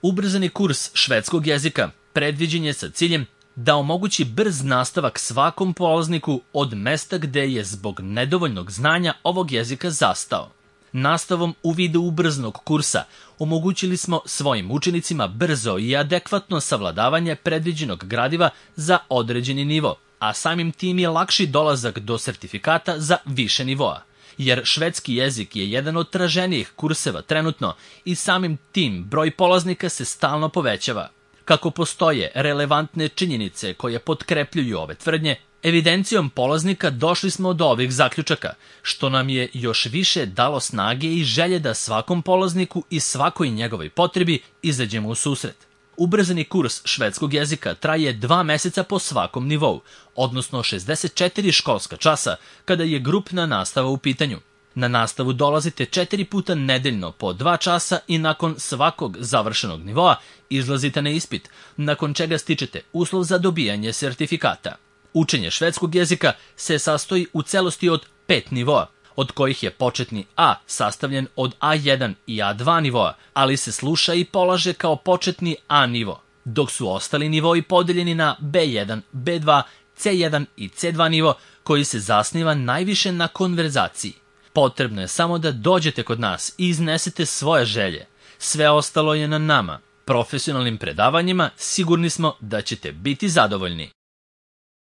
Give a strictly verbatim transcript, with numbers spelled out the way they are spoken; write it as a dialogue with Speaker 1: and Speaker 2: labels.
Speaker 1: Ubrzani kurs švedskog jezika predviđen je sa ciljem da omogući brz nastavak svakom polazniku od mesta gde je zbog nedovoljnog znanja ovog jezika zastao. Nastavom u vidu ubrzanog kursa omogućili smo svojim učenicima brzo i adekvatno savladavanje predviđenog gradiva za određeni nivo, a samim tim je lakši dolazak do sertifikata za više nivoa. Jer švedski jezik je jedan od traženijih kurseva trenutno i samim tim broj polaznika se stalno povećava. Kako postoje relevantne činjenice koje potkrepljuju ove tvrdnje, evidencijom polaznika došli smo do ovih zaključaka, što nam je još više dalo snage i želje da svakom polazniku i svakoj njegovoj potrebi izađemo u susret. Ubrzani kurs švedskog jezika traje dva meseca po svakom nivou, odnosno šezdeset četiri školska časa kada je grupna nastava u pitanju. Na nastavu dolazite četiri puta nedeljno po dva časa i nakon svakog završenog nivoa izlazite na ispit, nakon čega stičete uslov za dobijanje sertifikata. Učenje švedskog jezika se sastoji u celosti od pet nivoa, od kojih je početni A sastavljen od A jedan i A dva nivoa, ali se sluša i polaže kao početni A nivo, dok su ostali nivoi podeljeni na B jedan, B dva, C jedan i C dva nivo koji se zasniva najviše na konverzaciji. Potrebno je samo da dođete kod nas i iznesete svoje želje. Sve ostalo je na nama. Profesionalnim predavanjima sigurni smo da ćete biti zadovoljni.